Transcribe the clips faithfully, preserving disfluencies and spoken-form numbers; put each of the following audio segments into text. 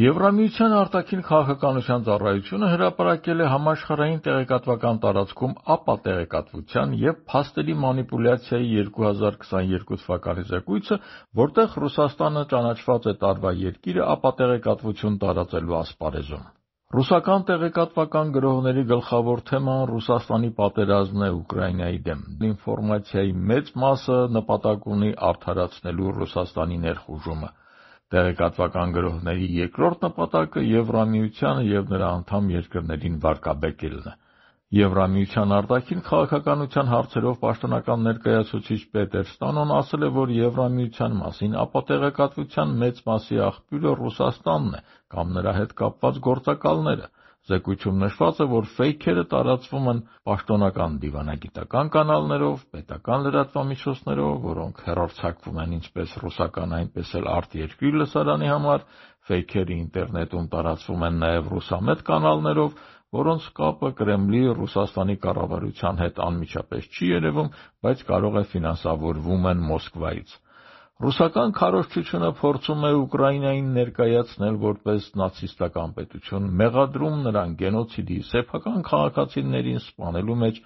Եվրամիության արտաքին քաղաքականության ծառայությունը հրապարակել է համաշխարհային տեղեկատվական տարածքում ապատեղեկատվության և փաստերի մանիպուլյացիայի երկու հազար քսաներկու թվականի զեկույցը, որտեղ Ռուսաստանը ճանաչված է տարվա երկիրը ապատեղեկատվություն տարածելու ասպարեզում։ Ռուսական տեղեկատվական գրողների գլխավոր թեման Ռուսաստանի պատերազմն է Ուկրաինայի դեմ։ Ինֆորմացիայի մեծ մասը նպատակ ունի արդարացնելու Ռուսաստանի ներխուժումը։ Տեղեկատվական գրողների երկրորդ նպատակը Եվրամիությանը և նրա անդամ երկրներին վարկաբեկելն է։ Եվրամիության արտաքին քաղաքականության հարցերով պաշտոնական ներկայացուցիչ Պետեր Ստանոն ասել է, որ Եվրամիության մասին ապատեղեկատվության մեծ մասի աղբյուրը Ռուսաստանն է կամ նրա հետ կապված գործակալները։ Զեկույցում նշված է, որ ֆեյքերը տարածվում են պաշտոնական դիվանագիտական կանալներով, պետական լրատվամիջոցներով, որոնք հեռարձակվում են ինչպես ռուսական, այնպես էլ արտերկրի լսարանի համար, ֆեյքերը ինտերնետում տարածվում են նաև ռուսամետ կանալներով, որոնց կապը Կրեմլի Ռուսաստանի կառավարության հետ անմիջապես չի երևում, բայց կարող է ֆինանսավորվում են Մոսկվայից։ Ռուսական քարոզչությունը փորձում է Ուկրաինային ներկայացնել որպես նացիստական պետություն, մեղադրում նրան գենոցիդի, սեփական քաղաքացիներին սպանելու մեջ,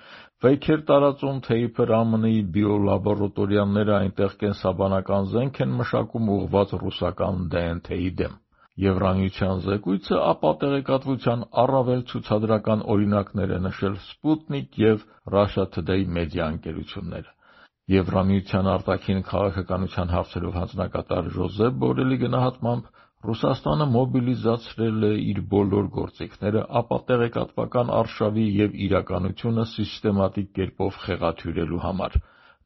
ֆեյքեր տարածում, թե իբր ԱՄՆ-ի բիոլաբորատորիաները այնտեղ կենսաբանական զենք են մշակում ուղղված ռուսական դե են թե-ի դեմ։ Եվրամիության զեկույցը ապատեղեկատվության առավել ցուցադրական օրինակներ է նշել Sputnik և Russia Today մեդիա ընկերությունները։ Եվրամիության արտաքին քաղաքականության հարցերով հանձնակատար Ժոզեփ Բորելի գնահատմամբ Ռուսաստանը մոբիլիզացրել է իր բոլոր գործիքները ապատեղեկատվական արշավի և իրականությունը սիստեմատիկ կերպով խեղաթյուրելու համար։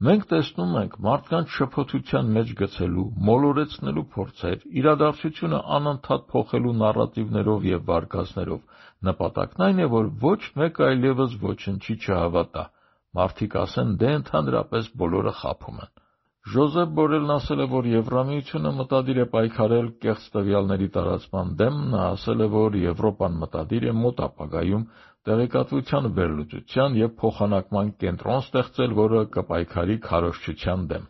Մենք տեսնում ենք մարդկանց շփոթության մեջ գցելու, մոլորեցնելու փորձեր, իրադարձությունը անընդհատ փոխելու նարատիվներով և վարկածներով։ Նպատակն այն է, որ ոչ մեկ այլևս ոչնչի չհավատա։ Մարդիկ ասեն, դե ընդհանրապես բոլորը խաբում են։ Ժոզեփ Բորելն ասել է, որ Եվրամիությունը մտադիր է պայքարել կեղծ տվյալների տարածման դեմ։ Նա ասել է, որ Եվրոպան մտադիր է մոտ ապագայում տեղեկատվության վերլուծության և փոխանակման կենտրոն ստեղծել, որը կպայքարի քարոզչության դեմ։